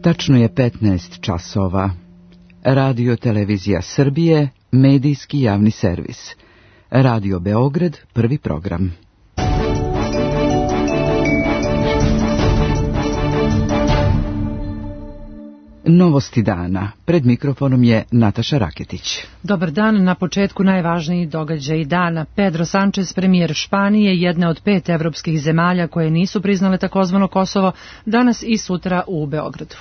Tačno je 15 časova. Radio Televizija Srbije, medijski javni servis. Radio Beograd, prvi program. Novosti dana. Pred mikrofonom je Nataša Raketić. Dobar dan. Na početku najvažniji događaj dana. Pedro Sanchez, premijer Španije, jedne od 5 evropskih zemalja koje nisu priznale takozvano Kosovo, danas i sutra u Beogradu.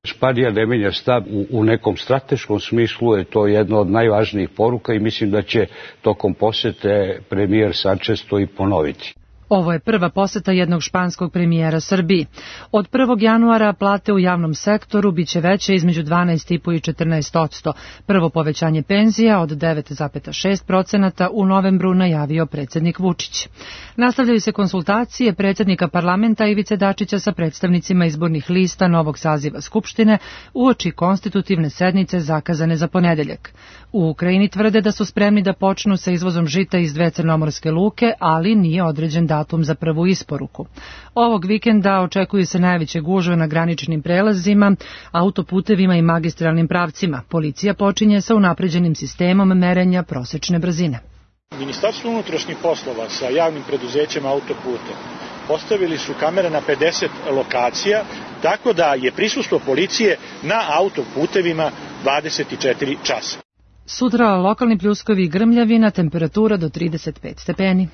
Španija ne menja stav u nekom strateškom smislu, je to jedna od najvažnijih poruka i mislim da će tokom posete premijer Sanchez to i ponoviti. Ovo je prva poseta jednog španskog premijera Srbiji. Od 1. januara plate u javnom sektoru biće veće između 12,5 i 14%. Prvo povećanje penzija od 9,6% u novembru najavio predsjednik Vučić. Nastavljaju se konsultacije predsjednika parlamenta Ivice Dačića sa predstavnicima izbornih lista novog saziva Skupštine uoči konstitutivne sednice zakazane za ponedeljak. U Ukrajini tvrde da su spremni da počnu sa izvozom žita iz 2 crnomorske luke, ali nije određen datum za prvu isporuku. Ovog vikenda očekuju se najveće gužve na graničnim prelazima, autoputevima i magistralnim pravcima. Policija počinje sa unapređenim sistemom merenja prosečne brzine. Ministarstvo unutrašnjih poslova sa javnim preduzećem autoputa postavili su kamere na 50 lokacija, tako da je prisustvo policije na autoputevima 24 časa. Sutra lokalni pljuskovi i grmljavina, temperatura do 35 stepeni.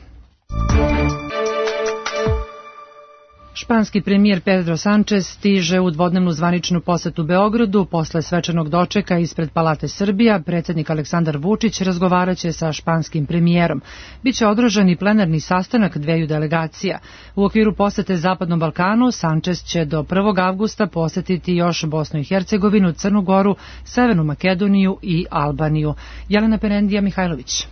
Španski premijer Pedro Sanchez stiže u dvodnevnu zvaničnu posetu Beogradu. Posle svečanog dočeka ispred Palate Srbija, predsjednik Aleksandar Vučić razgovaraće sa španskim premijerom. Biće održan i plenarni sastanak 2 delegacija. U okviru posete Zapadnom Balkanu, Sanchez će do 1. avgusta posetiti još Bosnu i Hercegovinu, Crnu Goru, Severnu Makedoniju i Albaniju. Jelena Perendija Mihajlović.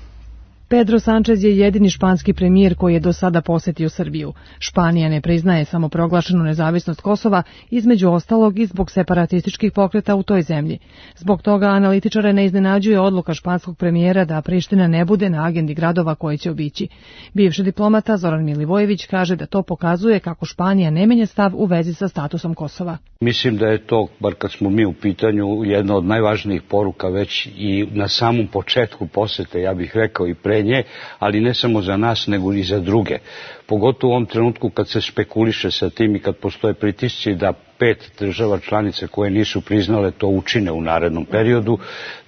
Pedro Sanchez je jedini španski premijer koji je do sada posetio Srbiju. Španija ne priznaje samoproglašenu nezavisnost Kosova, između ostalog i zbog separatističkih pokreta u toj zemlji. Zbog toga analitičare ne iznenađuje odluka španskog premijera da Priština ne bude na agendi gradova koje će obići. Bivši diplomata Zoran Milivojević kaže da to pokazuje kako Španija ne menja stav u vezi sa statusom Kosova. Mislim da je to, bar kad smo mi u pitanju, jedna od najvažnijih poruka već i na samom početku posete, ja bih rekao i pre nje, ali ne samo za nas, nego i za druge. Pogotovo u ovom trenutku kad se špekuliše sa tim i kad postoje pritisci da 5 država članice koje nisu priznale to učine u narednom periodu,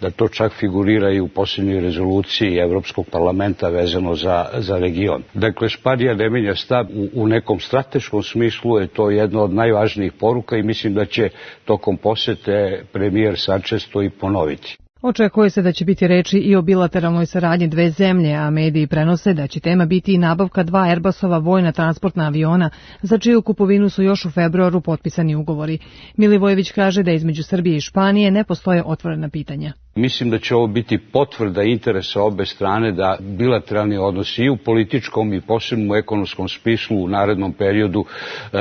da to čak figurira i u posljednjoj rezoluciji Evropskog parlamenta vezano za region. Dakle, Španija ne menja stav u nekom strateškom smislu, je to jedna od najvažnijih poruka i mislim da će tokom posete premijer Sanchez to i ponoviti. Očekuje se da će biti reči i o bilateralnoj saradnji 2 zemlje, a mediji prenose da će tema biti i nabavka 2 Airbusova vojna transportna aviona, za čiju kupovinu su još u februaru potpisani ugovori. Milivojević kaže da između Srbije i Španije ne postoje otvorena pitanja. Mislim da će ovo biti potvrda interesa obe strane da bilateralni odnosi i u političkom i posebno u ekonomskom smislu u narednom periodu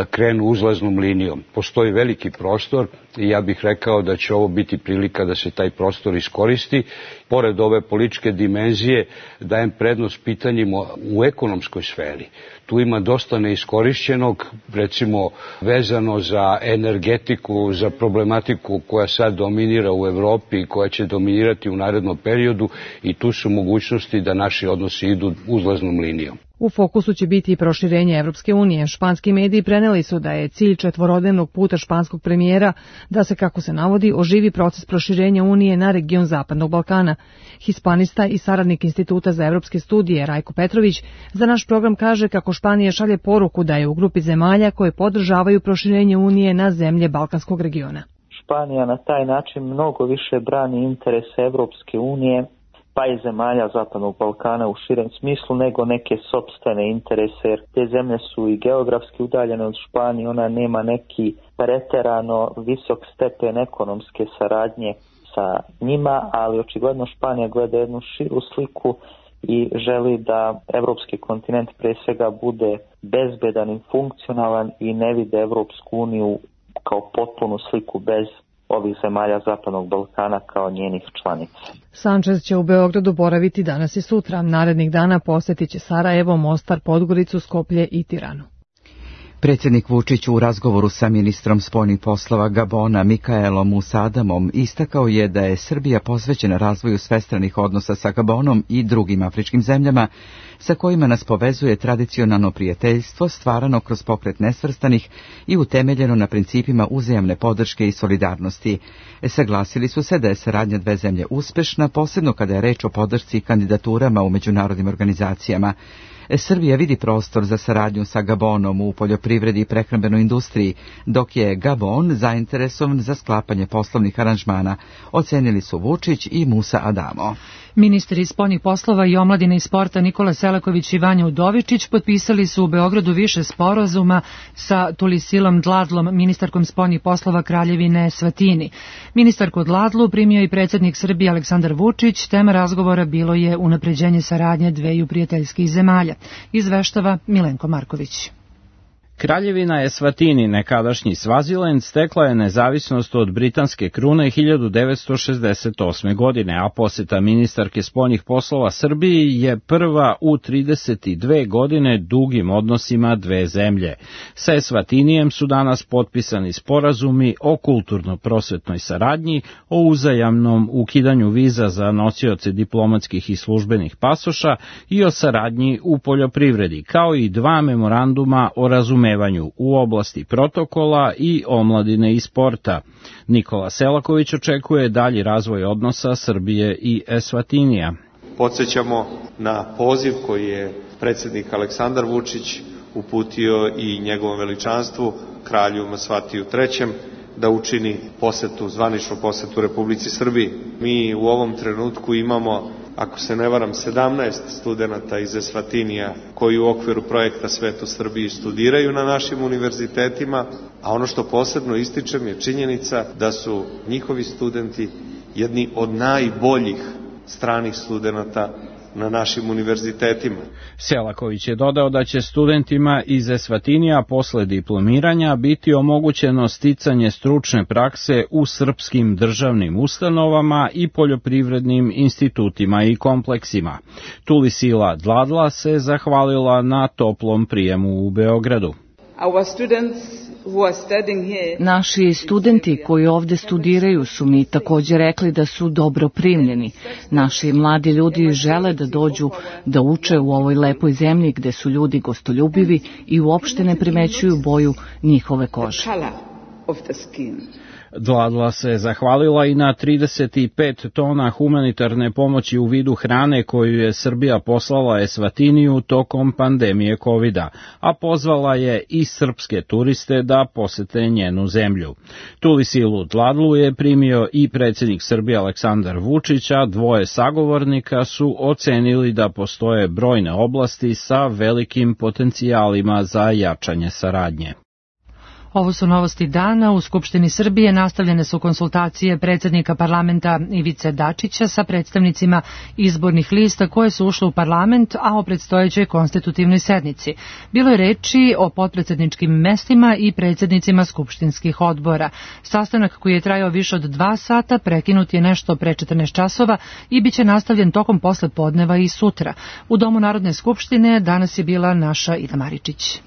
krenu uzlaznom linijom. Postoji veliki prostor i ja bih rekao da će ovo biti prilika da se taj prostor iskoristi. Pored ove političke dimenzije dajem prednost pitanjima u ekonomskoj sferi. Tu ima dosta neiskorišćenog, recimo vezano za energetiku, za problematiku koja sad dominira u Evropi i koja će dominirati u narednom periodu i tu su mogućnosti da naši odnosi idu uzlaznom linijom. U fokusu će biti i proširenje Evropske unije. Španski mediji preneli su da je cilj 4-dnevnog puta španskog premijera da se, kako se navodi, oživi proces proširenja Unije na region Zapadnog Balkana. Hispanista i saradnik Instituta za evropske studije Rajko Petrović za naš program kaže kako Španija šalje poruku da je u grupi zemalja koje podržavaju proširenje Unije na zemlje Balkanskog regiona. Španija na taj način mnogo više brani interese Evropske unije pa i zemalja Zapadnog Balkana u širem smislu nego neke sopstvene interese, jer te zemlje su i geografski udaljene od Španije, ona nema neki preterano visok stepen ekonomske saradnje sa njima, ali očigledno Španija gleda jednu širu sliku i želi da evropski kontinent pre svega bude bezbedan i funkcionalan i ne vide Evropsku uniju kao potpunu sliku bez ovih zemalja Zapadnog Balkana kao njenih članica. Sanchez će u Beogradu boraviti danas i sutra. Narednih dana posjetit će Sarajevo, Mostar, Podgoricu, Skoplje i Tiranu. Predsjednik Vučić u razgovoru sa ministrom spoljnih poslova Gabona Mikaelom Musadamom istakao je da je Srbija posvećena razvoju svestranih odnosa sa Gabonom i drugim afričkim zemljama sa kojima nas povezuje tradicionalno prijateljstvo stvarano kroz pokret nesvrstanih i utemeljeno na principima uzajamne podrške i solidarnosti. Saglasili su se da je saradnja dve zemlje uspešna, posebno kada je reč o podršci i kandidaturama u međunarodnim organizacijama. Srbija vidi prostor za saradnju sa Gabonom u poljoprivredi i prehrambenoj industriji, dok je Gabon zainteresovan za sklapanje poslovnih aranžmana, ocenili su Vučić i Musa Adamo. Ministri spoljnih poslova i omladine i sporta Nikola Selaković i Vanja Udovičić potpisali su u Beogradu više sporazuma sa Tulisilom Dladlom, ministarkom spoljnih poslova Kraljevine Esvatini. Ministarku Dladlu primio i predsjednik Srbije Aleksandar Vučić. Tema razgovora bilo je unapređenje saradnje dveju prijateljskih zemalja. Izveštava Milenko Marković. Kraljevina Esvatini, nekadašnji Svazilend, stekla je nezavisnost od britanske krune 1968. godine, a poseta ministarke spoljnih poslova Srbiji je prva u 32 godine dugim odnosima dve zemlje. Sa Esvatinijem su danas potpisani sporazumi o kulturno-prosvetnoj saradnji, o uzajamnom ukidanju viza za nosioce diplomatskih i službenih pasoša i o saradnji u poljoprivredi, kao i dva memoranduma o razumevanju u oblasti protokola i omladine i sporta. Nikola Selaković očekuje dalji razvoj odnosa Srbije i Esvatinija. Podsećamo na poziv koji je predsjednik Aleksandar Vučić uputio i njegovom veličanstvu, kralju Masvatiju III, da učini zvaničnu posetu Republici Srbiji. Mi u ovom trenutku imamo, ako se ne varam, 17 studenata iz Esvatinija koji u okviru projekta Svet u Srbiji studiraju na našim univerzitetima, a ono što posebno ističem je činjenica da su njihovi studenti jedni od najboljih stranih studenata na našim univerzitetima. Selaković je dodao da će studentima iz Esvatinija posle diplomiranja biti omogućeno sticanje stručne prakse u srpskim državnim ustanovama i poljoprivrednim institutima i kompleksima. Tulisila Dladla se zahvalila na toplom prijemu u Beogradu. Naši studenti koji ovde studiraju su mi također rekli da su dobro primljeni. Naši mladi ljudi žele da dođu da uče u ovoj lepoj zemlji gde su ljudi gostoljubivi i uopšte ne primećuju boju njihove kože. Dladla se zahvalila i na 35 tona humanitarne pomoći u vidu hrane koju je Srbija poslala Esvatiniju tokom pandemije COVID-a, a pozvala je i srpske turiste da posete njenu zemlju. Tulisilu Dladlu je primio i predsjednik Srbije Aleksandar Vučić, a dvoje sagovornika su ocenili da postoje brojne oblasti sa velikim potencijalima za jačanje saradnje. Ovo su novosti dana. U Skupštini Srbije nastavljene su konsultacije predsjednika parlamenta Ivice Dačića sa predstavnicima izbornih lista koje su ušle u parlament, a o predstojećoj konstitutivnoj sednici. Bilo je reči o potpredsjedničkim mestima i predsjednicima skupštinskih odbora. Sastanak koji je trajao više od 2 sata prekinut je nešto pre 14 časova i bit će nastavljen tokom posle podneva i sutra. U Domu Narodne skupštine danas je bila naša Ida Maričić.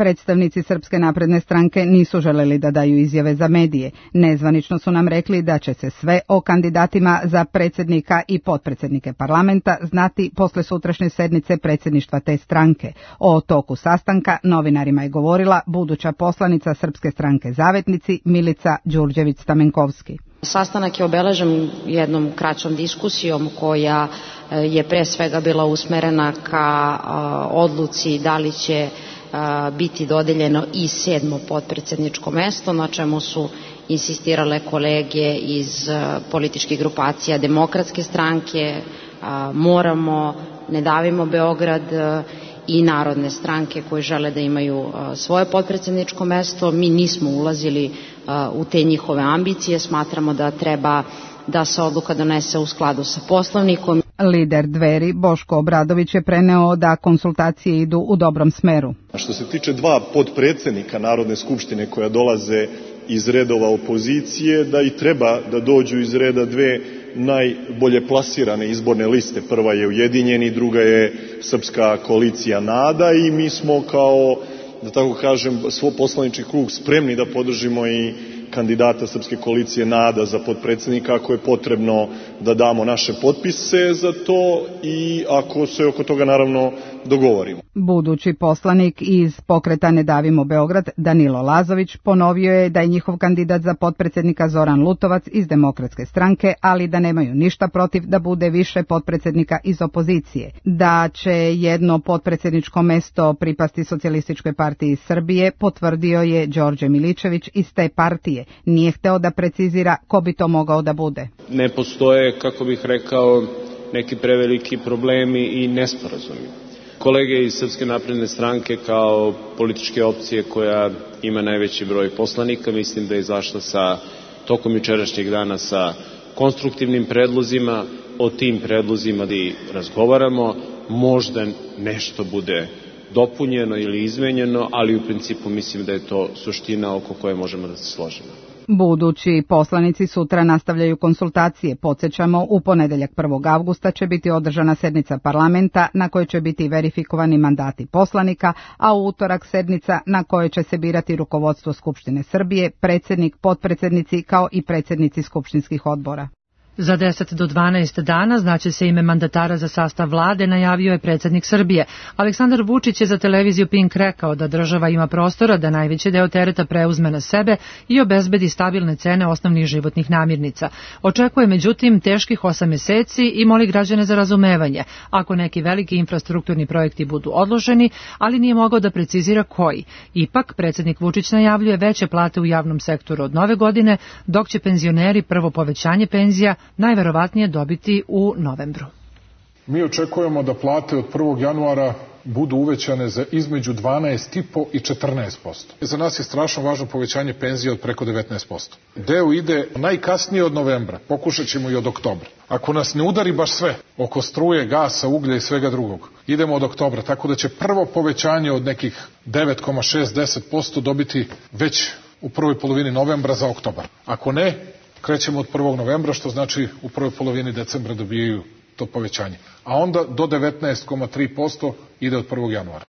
Predstavnici Srpske napredne stranke nisu želeli da daju izjave za medije. Nezvanično su nam rekli da će se sve o kandidatima za predsjednika i potpredsjednike parlamenta znati posle sutrašnje sednice predsjedništva te stranke. O toku sastanka novinarima je govorila buduća poslanica Srpske stranke Zavetnici Milica Đurđević-Stamenkovski. Sastanak je obeležen jednom kraćom diskusijom koja je pre svega bila usmerena ka odluci da li će biti dodeljeno i 7. potpredsjedničko mesto, na čemu su insistirale kolege iz političkih grupacija Demokratske stranke, Moramo, Ne davimo Beograd i Narodne stranke koje žele da imaju svoje potpredsjedničko mesto. Mi nismo ulazili u te njihove ambicije, smatramo da treba da se odluka donese u skladu sa Poslovnikom. Lider Dveri Boško Obradović je preneo da konsultacije idu u dobrom smeru. Što se tiče 2 potpredsjednika Narodne skupštine koja dolaze iz redova opozicije, da i treba da dođu iz reda 2 najbolje plasirane izborne liste. Prva je Ujedinjeni, druga je Srpska koalicija NADA i mi smo kao da tako kažem, svoj poslanički krug spremni da podržimo i kandidata Srpske koalicije NADA za potpredsednika ako je potrebno da damo naše potpise za to i ako se oko toga naravno dogovorimo. Budući poslanik iz pokreta Ne davimo Beograd, Danilo Lazović, ponovio je da je njihov kandidat za potpredsednika Zoran Lutovac iz Demokratske stranke, ali da nemaju ništa protiv da bude više potpredsednika iz opozicije. Da će jedno potpredsedničko mesto pripasti Socijalističkoj partiji Srbije, potvrdio je Đorđe Miličević iz te partije. Nije hteo da precizira ko bi to mogao da bude. Ne postoje, kako bih rekao, neki preveliki problemi i nesporazumi. Kolege iz Srpske napredne stranke kao političke opcije koja ima najveći broj poslanika, mislim da je izašla tokom jučerašnjeg dana sa konstruktivnim predlozima. O tim predlozima da i razgovaramo, možda nešto bude dopunjeno ili izmenjeno, ali u principu mislim da je to suština oko koje možemo da se složimo. Budući poslanici sutra nastavljaju konsultacije. Podsećamo, u ponedeljak 1. avgusta će biti održana sednica parlamenta na kojoj će biti verifikovani mandati poslanika, a u utorak sednica na kojoj će se birati rukovodstvo Skupštine Srbije, predsednik, potpredsednici kao i predsednici skupštinskih odbora. Za 10 do 12 dana znaće se ime mandatara za sastav vlade, najavio je predsjednik Srbije. Aleksandar Vučić je za televiziju Pink rekao da država ima prostora da najveći deo tereta preuzme na sebe i obezbedi stabilne cene osnovnih životnih namirnica. Očekuje međutim teških 8 meseci i moli građane za razumevanje ako neki veliki infrastrukturni projekti budu odloženi, ali nije mogao da precizira koji. Ipak, predsjednik Vučić najavljuje veće plate u javnom sektoru od nove godine, dok će penzioneri prvo povećanje penzija najverovatnije dobiti u novembru. Mi očekujemo da plate od 1. januara budu uvećane za između 12,5% i 14%. Za nas je strašno važno povećanje penzija od preko 19%. Deo ide najkasnije od novembra, pokušat ćemo i od oktobra. Ako nas ne udari baš sve, oko struje, gasa, uglja i svega drugog, idemo od oktobra, tako da će prvo povećanje od nekih 9,6-10% dobiti već u prvoj polovini novembra za oktobar. Ako ne, krećemo od 1. novembra, što znači u prvoj polovini decembra dobijaju to povećanje. A onda do 19,3% ide od 1. januara.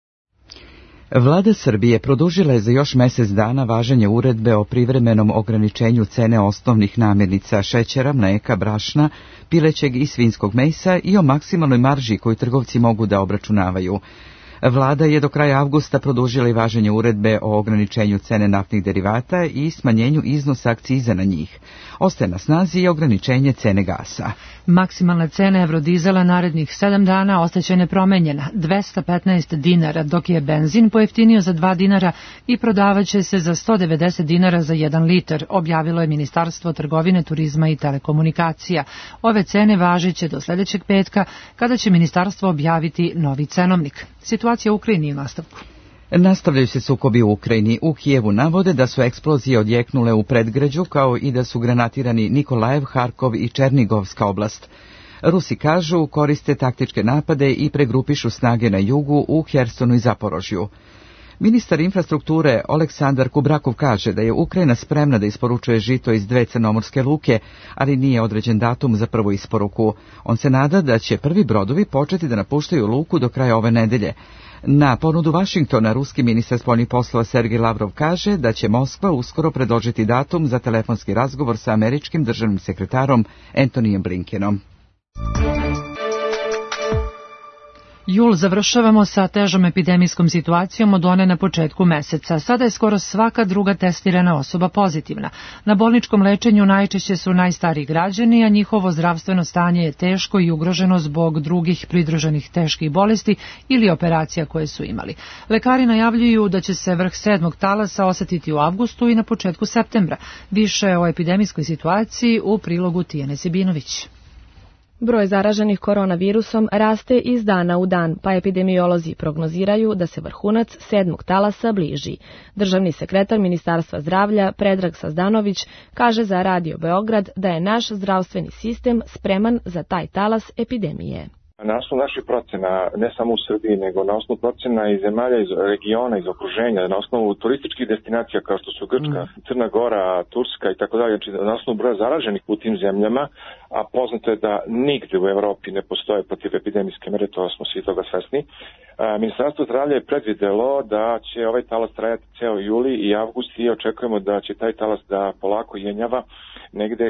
Vlada Srbije produžila je za još mesec dana važenje uredbe o privremenom ograničenju cene osnovnih namirnica šećera, mleka, brašna, pilećeg i svinjskog mesa i o maksimalnoj marži koju trgovci mogu da obračunavaju. Vlada je do kraja avgusta produžila i važenje uredbe o ograničenju cene naftnih derivata i smanjenju iznosa akciza na njih. Ostaje na snazi i ograničenje cene gasa. Maksimalna cena evrodizela narednih 7 dana ostaće nepromenjena, 215 dinara, dok je benzin pojeftinio za 2 dinara i prodavaće se za 190 dinara za 1 litar, objavilo je Ministarstvo trgovine, turizma i telekomunikacija. Ove cene važiće do sljedećeg petka, kada će ministarstvo objaviti novi cenovnik. Situacija u Ukrajini u nastavku. Nastavljaju se sukobi u Ukrajini. U Kijevu navode da su eksplozije odjeknule u predgrađu, kao i da su granatirani Nikolajev, Harkov i Černigovska oblast. Rusi kažu koriste taktičke napade i pregrupišu snage na jugu u Hersonu i Zaporožju. Ministar infrastrukture Oleksandar Kubrakov kaže da je Ukrajina spremna da isporučuje žito iz 2 crnomorske luke, ali nije određen datum za prvu isporuku. On se nada da će prvi brodovi početi da napuštaju luku do kraja ove nedelje. Na ponudu Vašingtona, ruski ministar spoljnih poslova Sergej Lavrov kaže da će Moskva uskoro predložiti datum za telefonski razgovor sa američkim državnim sekretarom Antonijem Blinkenom. Jul završavamo sa težom epidemijskom situacijom od one na početku meseca. Sada je skoro svaka druga testirana osoba pozitivna. Na bolničkom lečenju najčešće su najstariji građani, a njihovo zdravstveno stanje je teško i ugroženo zbog drugih pridruženih teških bolesti ili operacija koje su imali. Lekari najavljuju da će se vrh 7. talasa osetiti u avgustu i na početku septembra. Više o epidemijskoj situaciji u prilogu Tijane Sibinović. Broj zaraženih koronavirusom raste iz dana u dan, pa epidemiolozi prognoziraju da se vrhunac 7. talasa bliži. Državni sekretar Ministarstva zdravlja Predrag Sazdanović kaže za Radio Beograd da je naš zdravstveni sistem spreman za taj talas epidemije. Na osnovu naših procena, ne samo u Srbiji, nego na osnovu procena iz zemalja, iz regiona, iz okruženja, na osnovu turističkih destinacija kao što su Grčka, Crna Gora, Turska i tako dalje, znači na osnovu broja zaraženih u tim zemljama, a poznato je da nigde u Evropi ne postoje protivepidemijske mere, to smo svi toga svesni, Ministarstvo zdravlja je predvidelo da će ovaj talas trajati ceo juli i avgust i očekujemo da će taj talas da polako jenjava negde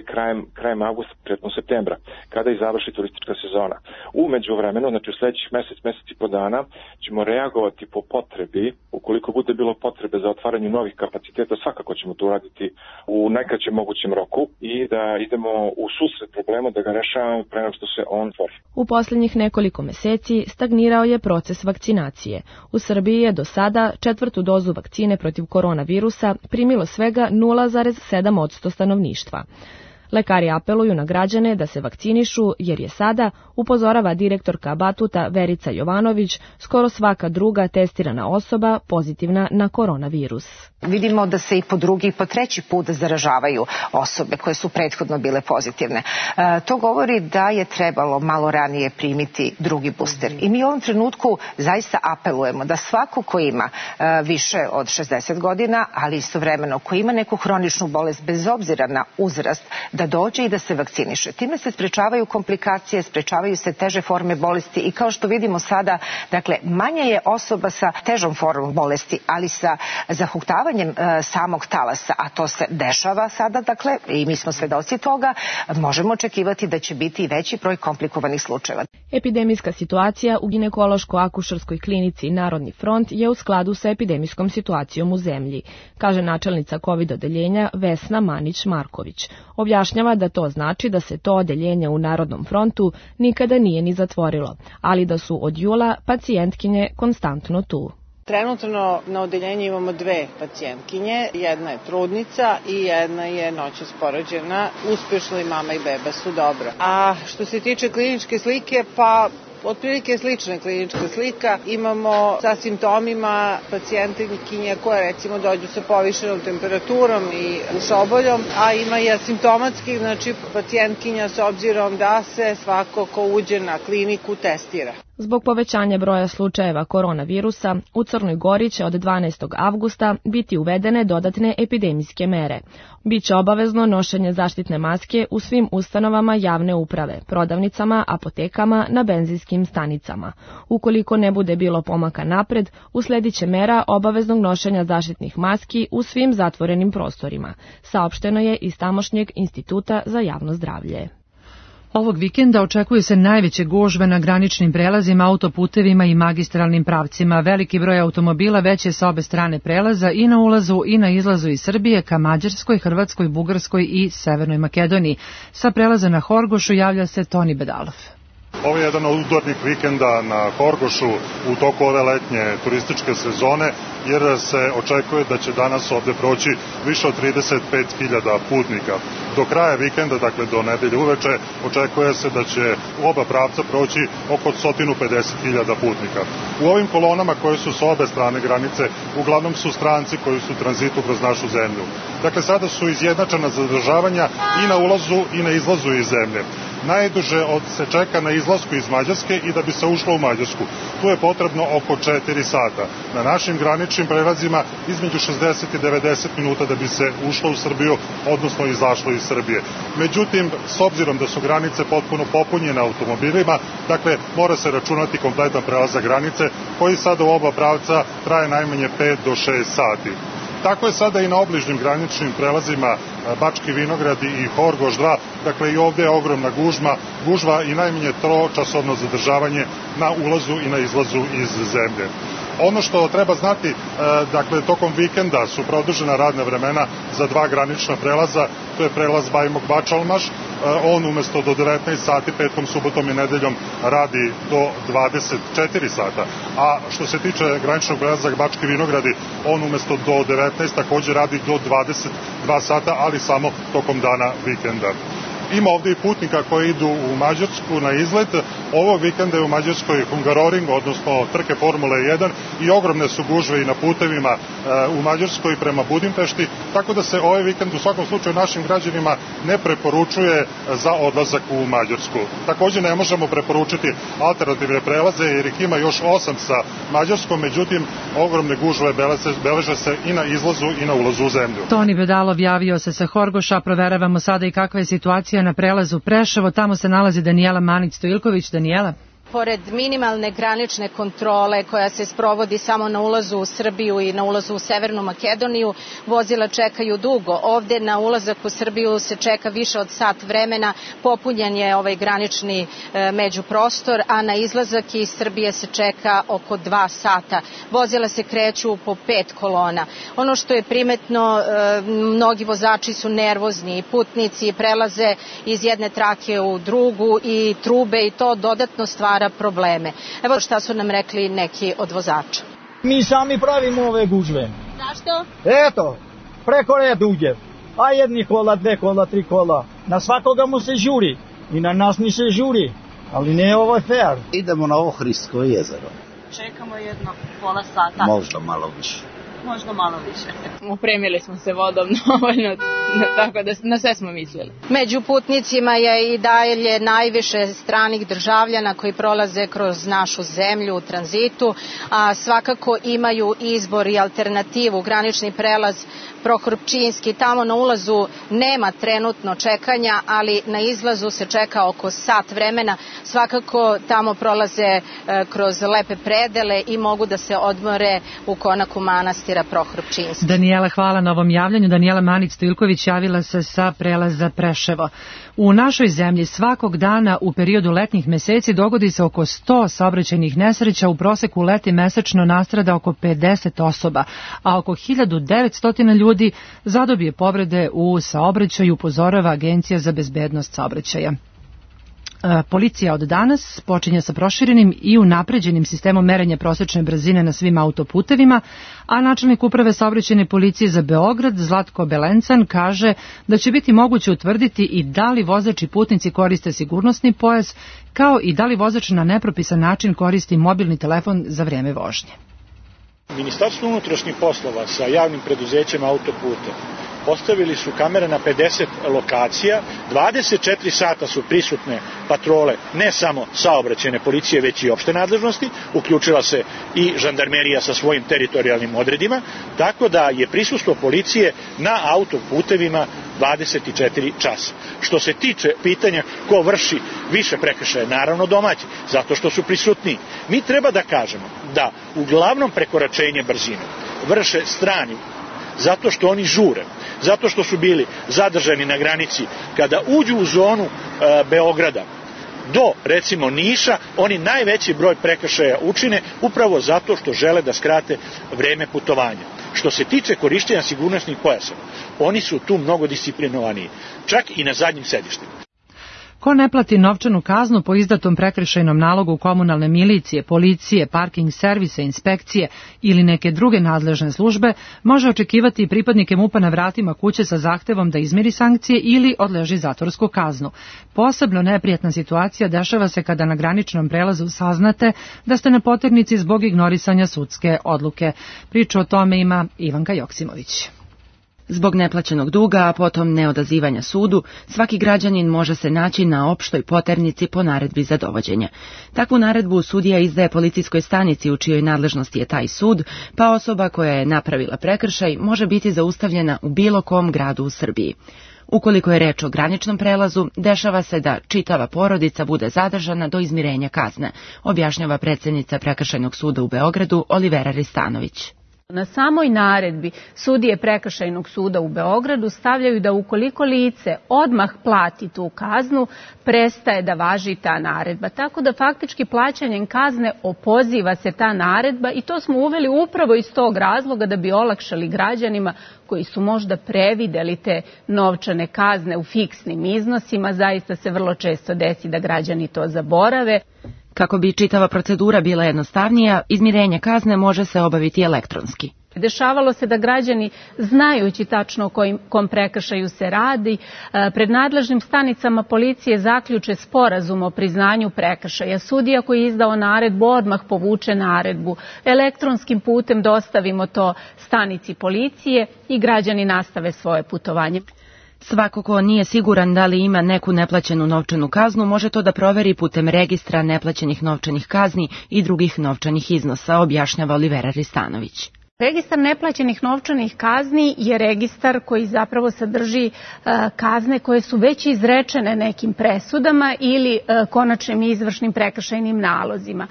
krajem avgusta, početkom septembra, kada i završi turistička sezona. U međuvremenu, znači u sledećih mesec i po dana, ćemo reagovati po potrebi, ukoliko bude bilo potrebe za otvaranje novih kapaciteta, svakako ćemo to uraditi u najkraćem mogućem roku i da idemo u susret problemu, da ga rešavamo pre nego što se on otvori. U posljednjih nekoliko meseci stagnirao je proces vakcinacije. U Srbiji je do sada 4. dozu vakcine protiv koronavirusa primilo svega 0,7% stanovništva. Lekari apeluju na građane da se vakcinišu jer je sada, upozorava direktorka Batuta Verica Jovanović, skoro svaka druga testirana osoba pozitivna na koronavirus. Vidimo da se i po drugi i po treći put zaražavaju osobe koje su prethodno bile pozitivne. To govori da je trebalo malo ranije primiti drugi booster. I mi u ovom trenutku zaista apelujemo da svako ko ima više od 60 godina, ali istovremeno ko ima neku hroničnu bolest bez obzira na uzrast, da dođe i da se vakciniše. Time se sprečavaju komplikacije, sprečavaju se teže forme bolesti i kao što vidimo sada, dakle, manje je osoba sa težom formom bolesti, ali sa zahuktavanjem samog talasa, a to se dešava sada, dakle, i mi smo svedoci toga, možemo očekivati da će biti i veći broj komplikovanih slučajeva. Epidemijska situacija u ginekološko-akušerskoj klinici Narodni front je u skladu sa epidemijskom situacijom u zemlji, kaže načelnica COVID odeljenja Vesna Manić-Marković. Objašnjava da to znači da se to odeljenje u Narodnom frontu nikada nije ni zatvorilo, ali da su od jula pacijentkinje konstantno tu. Trenutno na odeljenju imamo 2 pacijentkinje, jedna je trudnica i jedna je noćas porođena, uspešno i mama i beba su dobro. A što se tiče kliničke slike, pa otprilike slična klinička slika. Imamo sa simptomima pacijentkinje koje recimo dođu sa povišenom temperaturom i ušoboljom, a ima i asimptomatskih, znači pacijentkinja s obzirom da se svako ko uđe na kliniku testira. Zbog povećanja broja slučajeva koronavirusa, u Crnoj Gori će od 12. avgusta biti uvedene dodatne epidemijske mere. Biće obavezno nošenje zaštitne maske u svim ustanovama javne uprave, prodavnicama, apotekama, na benzinskim stanicama. Ukoliko ne bude bilo pomaka napred, usledit će mera obaveznog nošenja zaštitnih maski u svim zatvorenim prostorima, saopšteno je iz tamošnjeg Instituta za javno zdravlje. Ovog vikenda očekuje se najveće gužve na graničnim prelazima, autoputevima i magistralnim pravcima. Veliki broj automobila već je sa obe strane prelaza i na ulazu i na izlazu iz Srbije ka Mađarskoj, Hrvatskoj, Bugarskoj i Severnoj Makedoniji. Sa prelaza na Horgošu javlja se Toni Bedalov. Ovo je jedan od udarnih vikenda na Horgošu u toku ove letnje turističke sezone, jer se očekuje da će danas ovde proći više od 35.000 putnika. Do kraja vikenda, dakle do nedelje uveče, očekuje se da će u oba pravca proći oko 150.000 putnika. U ovim kolonama koje su s obe strane granice, uglavnom su stranci koji su u tranzitu kroz našu zemlju. Dakle, sada su izjednačena zadržavanja i na ulazu i na izlazu iz zemlje. Najduže se čeka na izlasku iz Mađarske i da bi se ušlo u Mađarsku. Tu je potrebno oko 4 sata. Na našim graničnim prelazima između 60 i 90 minuta da bi se ušlo u Srbiju, odnosno izašlo iz Srbije. Međutim, s obzirom da su granice potpuno popunjene automobilima, dakle, mora se računati kompletan prelazak granice, koji sada u oba pravca traje najmanje 5 do 6 sati. Tako je sada i na obližnjim graničnim prelazima Bački Vinogradi i Horgoš 2, dakle i ovde je ogromna gužva i najmanje 3-časovno zadržavanje na ulazu i na izlazu iz zemlje. Ono što treba znati, dakle, tokom vikenda su produžena radna vremena za 2 granična prelaza, to je prelaz Bajmok-Bačalmaš, on umesto do 19 sati, petkom, subotom i nedeljom radi do 24 sata, a što se tiče graničnog prelaza Bački Vinogradi, on umesto do 19 takođe radi do 22 sata, ali samo tokom dana vikenda. Ima ovde i putnika koji idu u Mađarsku na izlet. Ovog vikenda je u Mađarskoj Hungaroring, odnosno trke Formule 1 i ogromne su gužve i na putevima u Mađarskoj prema Budimpešti, tako da se ovaj vikend u svakom slučaju našim građanima ne preporučuje za odlazak u Mađarsku. Takođe ne možemo preporučiti alternativne prelaze jer ih ima još 8 sa Mađarskom, međutim ogromne gužve beleže se i na izlazu i na ulazu u zemlju. Toni Bedalov javio se sa Horgoša, proveravamo sada i kakva je situacija na prelazu Preševo, tamo se nalazi Danijela Manić-Stojilković. Danijela. Pored minimalne granične kontrole koja se sprovodi samo na ulazu u Srbiju i na ulazu u Severnu Makedoniju, vozila čekaju dugo. Ovde na ulazak u Srbiju se čeka više od sat vremena, popunjen je ovaj granični međuprostor, a na izlazak iz Srbije se čeka oko 2 sata. Vozila se kreću po 5 kolona. Ono što je primetno, mnogi vozači su nervozni i putnici prelaze iz jedne trake u drugu i trube i to dodatno stvara probleme. Evo šta su nam rekli neki od vozača. Mi sami pravimo ove gužve. Zašto? Eto, preko reda uđe. A jedni kola, 2 kola, 3 kola. Na svakoga mu se žuri. I na nas mi se žuri. Ali ne ovo je fair. Idemo na Ohridsko jezero. Čekamo jedno pola sata. Možda malo više. Opremili smo se vodom dovoljno, tako da na sve smo mislili. Među putnicima je i dalje najviše stranih državljana koji prolaze kroz našu zemlju u tranzitu, a svakako imaju izbor i alternativu, granični prelaz Prohorpčinski. Tamo na ulazu nema trenutno čekanja, ali na izlazu se čeka oko sat vremena. Svakako tamo prolaze kroz lepe predele i mogu da se odmore u konaku manastira Prohorpčinski. Danijela, hvala na ovom javljanju. Danijela Manić-Stojilković javila se sa prelaza Preševo. U našoj zemlji svakog dana u periodu letnjih meseci dogodi se oko 100 saobraćajnih nesreća, u proseku leti mesečno nastrada oko 50 osoba, a oko 1900 ljudi zadobije povrede u saobraćaju, upozorava Agencija za bezbednost saobraćaja. Policija od danas počinje sa proširenim i unapređenim sistemom merenja prosečne brzine na svim autoputevima, a načelnik uprave saobraćajne policije za Beograd Zlatko Belencan kaže da će biti moguće utvrditi i da li vozač i putnici koriste sigurnosni pojas, kao i da li vozač na nepropisan način koristi mobilni telefon za vrijeme vožnje. Ministarstvo unutrašnjih poslova sa javnim preduzećem autoputa postavili su kamere na 50 lokacija, 24 sata su prisutne patrole, ne samo saobraćajne policije, već i opšte nadležnosti, uključila se i žandarmerija sa svojim teritorijalnim odredima, tako da je prisustvo policije na autoputevima 24 časa. Što se tiče pitanja ko vrši više prekršaja, naravno domaći, zato što su prisutniji. Mi treba da kažemo da uglavnom prekoračenje brzine vrše strani, zato što oni žure, zato što su bili zadržani na granici. Kada uđu u zonu Beograda do, recimo, Niša, oni najveći broj prekršaja učine upravo zato što žele da skrate vreme putovanja. Što se tiče korišćenja sigurnosnih pojasa, oni su tu mnogo disciplinovaniji, čak i na zadnjim sedištima. Ko ne plati novčanu kaznu po izdatom prekršajnom nalogu komunalne milicije, policije, parking servisa, inspekcije ili neke druge nadležne službe, može očekivati i pripadnike MUP-a na vratima kuće sa zahtevom da izmiri sankcije ili odleži zatvorsku kaznu. Posebno neprijatna situacija dešava se kada na graničnom prelazu saznate da ste na poternici zbog ignorisanja sudske odluke. Priču o tome ima Ivanka Joksimović. Zbog neplaćenog duga, a potom neodazivanja sudu, svaki građanin može se naći na opštoj poternici po naredbi za dovođenje. Takvu naredbu sudija izdaje policijskoj stanici u čijoj nadležnosti je taj sud, pa osoba koja je napravila prekršaj može biti zaustavljena u bilo kom gradu u Srbiji. Ukoliko je reč o graničnom prelazu, dešava se da čitava porodica bude zadržana do izmirenja kazne, objašnjava predsjednica Prekršajnog suda u Beogradu Olivera Ristanović. Na samoj naredbi sudije Prekršajnog suda u Beogradu stavljaju da ukoliko lice odmah plati tu kaznu, prestaje da važi ta naredba. Tako da faktički plaćanjem kazne opoziva se ta naredba i to smo uveli upravo iz tog razloga da bi olakšali građanima koji su možda prevideli te novčane kazne u fiksnim iznosima. Zaista se vrlo često desi da građani to zaborave. Kako bi čitava procedura bila jednostavnija, izmirenje kazne može se obaviti elektronski. Dešavalo se da građani, znajući tačno o kom prekršaju se radi, pred nadležnim stanicama policije zaključe sporazum o priznanju prekršaja. Sudija koji je izdao naredbu odmah povuče naredbu. Elektronskim putem dostavimo to stanici policije i građani nastave svoje putovanje. Svako ko nije siguran da li ima neku neplaćenu novčanu kaznu, može to da proveri putem registra neplaćenih novčanih kazni i drugih novčanih iznosa, objašnjava Olivera Ristanović. Registar neplaćenih novčanih kazni je registar koji zapravo sadrži kazne koje su već izrečene nekim presudama ili konačnim izvršnim prekršajnim nalozima.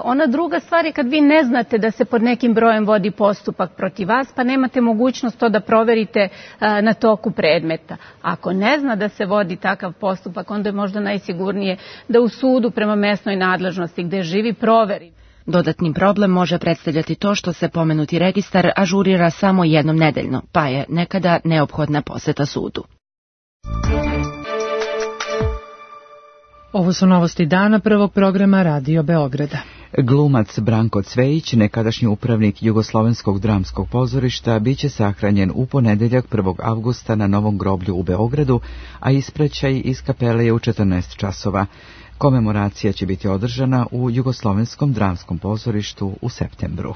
Ona druga stvar je kad vi ne znate da se pod nekim brojem vodi postupak protiv vas, pa nemate mogućnost to da proverite na toku predmeta. Ako ne zna da se vodi takav postupak, onda je možda najsigurnije da u sudu prema mesnoj nadležnosti gde živi proveri. Dodatni problem može predstavljati to što se pomenuti registar ažurira samo jednom nedeljno, pa je nekada neophodna poseta sudu. Ovo su novosti dana prvog programa Radio Beograda. Glumac Branko Cvejić, nekadašnji upravnik Jugoslovenskog dramskog pozorišta, biće sahranjen u ponedeljak 1. avgusta na Novom groblju u Beogradu, a ispraćaj iz kapele je u 14 časova. Komemoracija će biti održana u Jugoslovenskom dramskom pozorištu u septembru.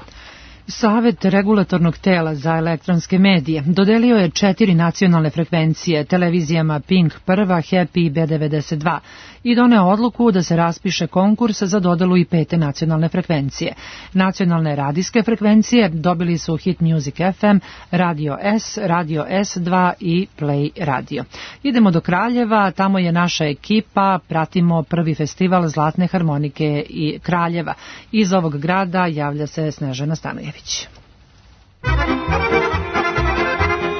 Savet regulatornog tela za elektronske medije dodelio je 4 nacionalne frekvencije televizijama Pink 1, Happy i B92 i doneo odluku da se raspiše konkurs za dodelu i 5. nacionalne frekvencije. Nacionalne radijske frekvencije dobili su Hit Music FM, Radio S, Radio S2 i Play Radio. Idemo do Kraljeva, tamo je naša ekipa, pratimo prvi festival Zlatne harmonike i Kraljeva. Iz ovog grada javlja se Snežana Stanojević.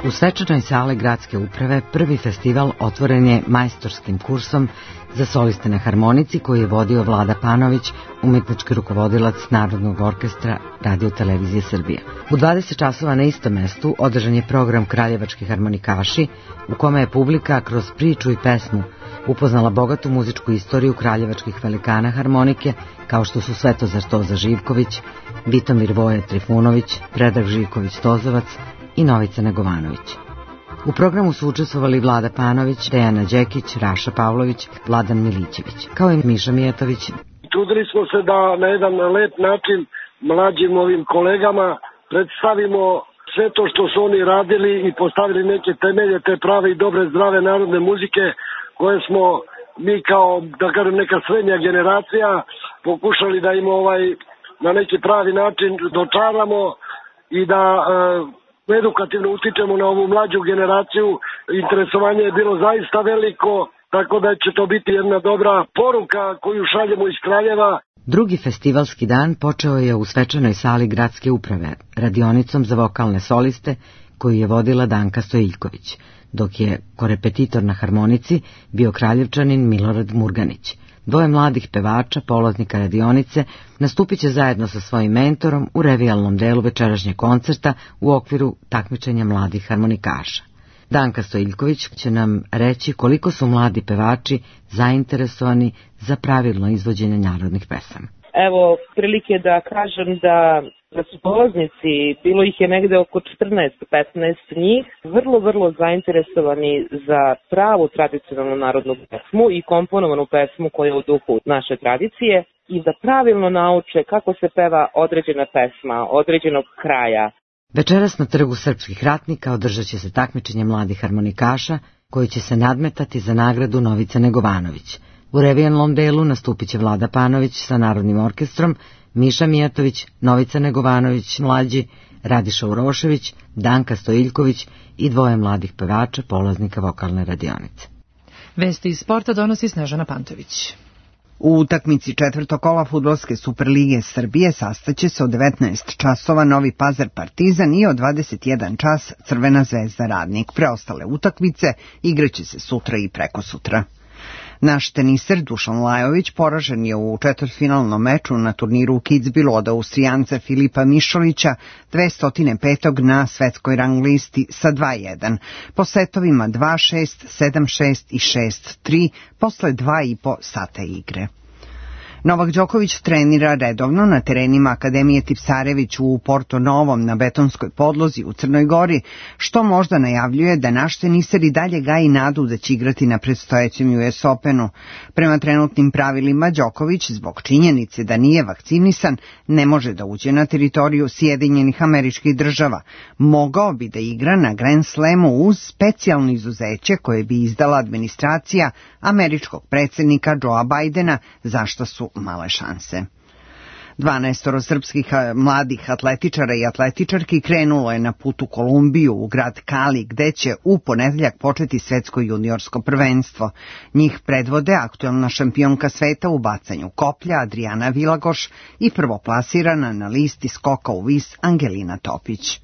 U svečanoj sali gradske uprave prvi festival otvoren je majstorskim kursom za soliste na harmonici koji je vodio Vlada Panović, umetnički rukovodilac Narodnog orkestra Radio Televizije Srbije. U 20 časova na istom mestu održan je program Kraljevački harmonikaši, u kome je publika kroz priču i pesmu upoznala bogatu muzičku istoriju kraljevačkih velikana harmonike, kao što su Svetozar Toza Živković, Vitomir Voja Trifunović, Predrag Živković Tozovac i Novica Negovanović. U programu su učestvovali Vlada Panović, Dejana Đekić, Raša Pavlović, Vladan Milićević, kao i Miša Mijatović. Trudili smo se da na jedan lep način mlađim ovim kolegama predstavimo sve to što su oni radili i postavili neke temelje te prave i dobre zdrave narodne muzike koje smo mi kao, da kažem, neka srednja generacija pokušali da im na neki pravi način dočaramo i da edukativno utičemo na ovu mlađu generaciju. Interesovanje je bilo zaista veliko, tako da će to biti jedna dobra poruka koju šaljemo iz Kraljeva. Drugi festivalski dan počeo je u svečanoj sali gradske uprave, radionicom za vokalne soliste koju je vodila Danka Stojiljković, dok je korepetitor na harmonici bio Kraljevčanin Milorad Murganić. Dvoje mladih pevača, polaznika radionice, nastupit će zajedno sa svojim mentorom u revijalnom delu večerašnjeg koncerta u okviru takmičenja mladih harmonikaša. Danka Stojiljković će nam reći koliko su mladi pevači zainteresovani za pravilno izvođenje narodnih pesama. Evo, prilike da kažem da su polaznici, bilo ih je negde oko 14-15 njih, vrlo zainteresovani za pravu tradicionalnu narodnu pesmu i komponovanu pesmu koja je u duhu naše tradicije i da pravilno nauče kako se peva određena pesma, određenog kraja. Večeras na Trgu srpskih ratnika održat će se takmičenje mladih harmonikaša koji će se nadmetati za nagradu Novice Negovanović. U revijalnom delu nastupit će Vlada Panović sa Narodnim orkestrom, Miša Mijatović, Novica Negovanović mlađi, Radiša Urošević, Danka Stojiljković i dvoje mladih pevača, polaznika vokalne radionice. Vesti iz sporta donosi Snežana Pantović. U utakmici četvrtog kola Fudbalske Superlige Srbije sastaće se od 19 časova Novi Pazar Partizan i od 21 čas Crvena zvezda Radnik. Preostale utakmice igraće se sutra i prekosutra. Naš teniser Dušan Lajović poražen je u četvrtfinalnom meču na turniru u Kitzbühelu od Austrijanca Filipa Mišovića 205. na svetskoj rang listi sa 2-1. Po setovima 2-6, 7-6 i 6-3 posle 2,5 sata igre. Novak Đoković trenira redovno na terenima Akademije Tipsarević u Porto Novom na betonskoj podlozi u Crnoj Gori, što možda najavljuje da naš teniser i dalje gaji nadu da će igrati na predstojećem US Openu. Prema trenutnim pravilima Đoković, zbog činjenice da nije vakcinisan, ne može da uđe na teritoriju Sjedinjenih Američkih Država. Mogao bi da igra na Grand Slamu uz specijalno izuzeće koje bi izdala administracija američkog predsjednika Joea Bidena, za što su male šanse. 12 srpskih mladih atletičara i atletičarki krenulo je na put u Kolumbiju, u grad Kali, gde će u ponedeljak početi svetsko juniorsko prvenstvo. Njih predvode aktuelna šampionka sveta u bacanju koplja Adriana Vilagoš i prvoplasirana na listi skoka u vis Angelina Topić.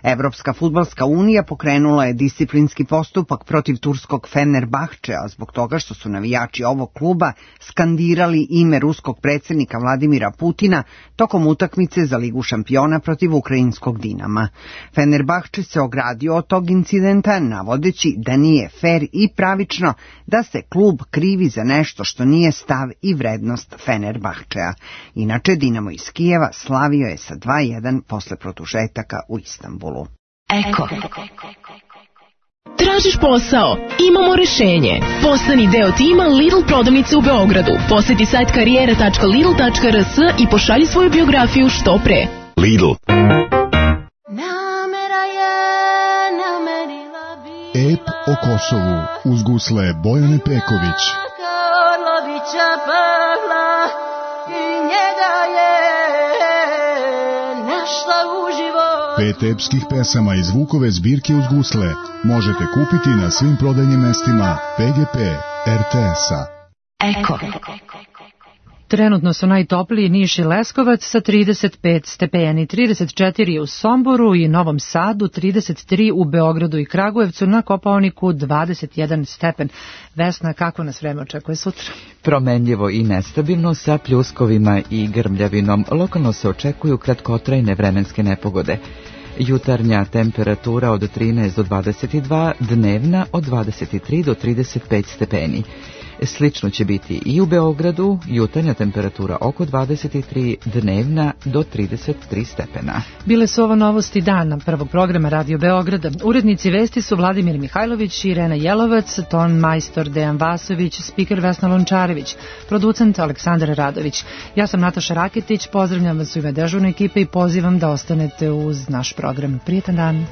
Evropska fudbalska unija pokrenula je disciplinski postupak protiv turskog Fenerbahčea zbog toga što su navijači ovog kluba skandirali ime ruskog predsjednika Vladimira Putina tokom utakmice za Ligu šampiona protiv ukrajinskog Dinama. Fenerbahče se ogradio od tog incidenta navodeći da nije fer i pravično da se klub krivi za nešto što nije stav i vrednost Fenerbahčea. Inače, Dinamo iz Kijeva slavio je sa 2:1 posle produžetaka u Istanbulu. Eko. Tražiš posao? Imamo rešenje. Postani deo tima Lidl prodavnice u Beogradu. Poseti sajt karijera.lidl.rs i pošalji svoju biografiju što pre. Lidl. Ep o Kosovu uz gusle Bojane Peković. Pet epskih pesama iz Vukove zbirke uz gusle možete kupiti na svim prodajnim mestima PGP RTS-a. Eko. Trenutno su najtopliji Niš i Leskovac sa 35 stepeni, 34 u Somboru i Novom Sadu, 33 u Beogradu i Kragujevcu, na Kopaoniku 21 stepen. Vesna, kako nas vreme očekuje sutra? Promenljivo i nestabilno sa pljuskovima i grmljavinom. Lokalno se očekuju kratkotrajne vremenske nepogode. Jutarnja temperatura od 13 do 22, dnevna od 23 do 35 stepeni. Slično će biti i u Beogradu, jutarnja temperatura oko 23, dnevna do 33 stepena. Bile su ovo novosti dana prvog programa Radio Beograda. Urednici vesti su Vladimir Mihajlović, Irena Jelovac, ton majstor Dejan Vasović, spiker Vesna Lončarević, producent Aleksandar Radović. Ja sam Nataša Raketić, pozdravljam vas u ime dežurne ekipe i pozivam da ostanete uz naš program. Prijetan dan.